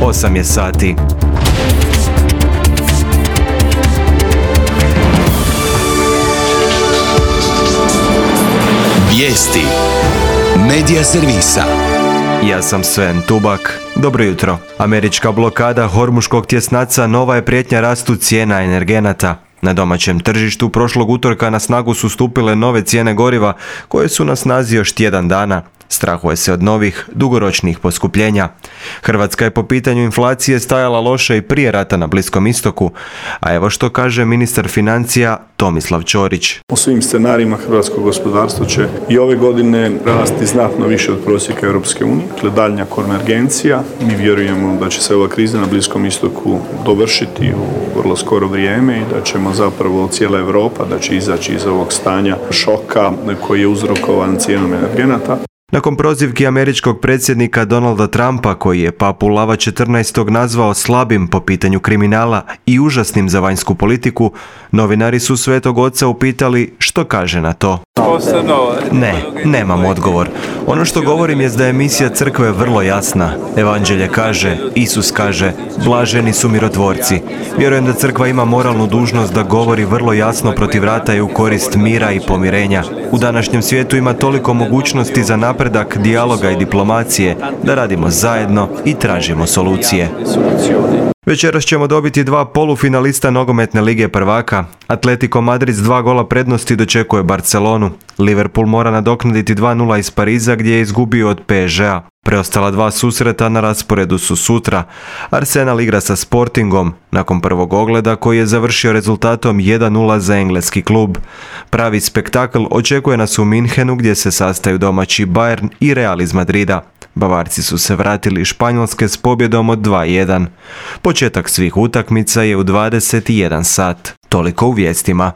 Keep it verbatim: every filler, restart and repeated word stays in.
osam je sati. Vijesti Medija servisa. Ja sam Sven Tubak. Dobro jutro. Američka blokada Hormuškog tjesnaca nova je prijetnja rastu cijena energenata. Na domaćem tržištu prošlog utorka na snagu su stupile nove cijene goriva koje su na snazi još tjedan dana. Strahuje se od novih, dugoročnih poskupljenja. Hrvatska je po pitanju inflacije stajala loše i prije rata na Bliskom istoku, a evo što kaže ministar financija Tomislav Ćorić. U svim scenarijima hrvatsko gospodarstvo će i ove godine rasti znatno više od prosjeka Europske unije. Dakle, daljnja konvergencija. Mi vjerujemo da će se ova kriza na Bliskom istoku dovršiti u vrlo skoro vrijeme i da ćemo zapravo cijela Europa da će izaći iz ovog stanja šoka koji je uzrokovan cijenom energenata. Nakon prozivki američkog predsjednika Donalda Trumpa, koji je papu Lava četrnaestog nazvao slabim po pitanju kriminala i užasnim za vanjsku politiku, novinari su Svetog Oca upitali što kaže na to. Ne, nemam odgovor. Ono što govorim je da je misija crkve vrlo jasna. Evanđelje kaže, Isus kaže, blaženi su mirotvorci. Vjerujem da crkva ima moralnu dužnost da govori vrlo jasno protiv rata i u korist mira i pomirenja. U današnjem svijetu ima toliko mogućnosti za napredak, dijaloga i diplomacije da radimo zajedno i tražimo solucije. Večeras ćemo dobiti dva polufinalista nogometne lige prvaka. Atletico Madrid s dva gola prednosti dočekuje Barcelonu. Liverpool mora nadoknaditi dva nula iz Pariza gdje je izgubio od P S G-a. Preostala dva susreta na rasporedu su sutra. Arsenal igra sa Sportingom nakon prvog ogleda koji je završio rezultatom jedan nula za engleski klub. Pravi spektakl očekuje nas u Minhenu gdje se sastaju domaći Bayern i Real iz Madrida. Bavarci su se vratili iz Španjolske s pobjedom od dva jedan. Početak svih utakmica je u dvadeset jedan sat. Toliko u vijestima.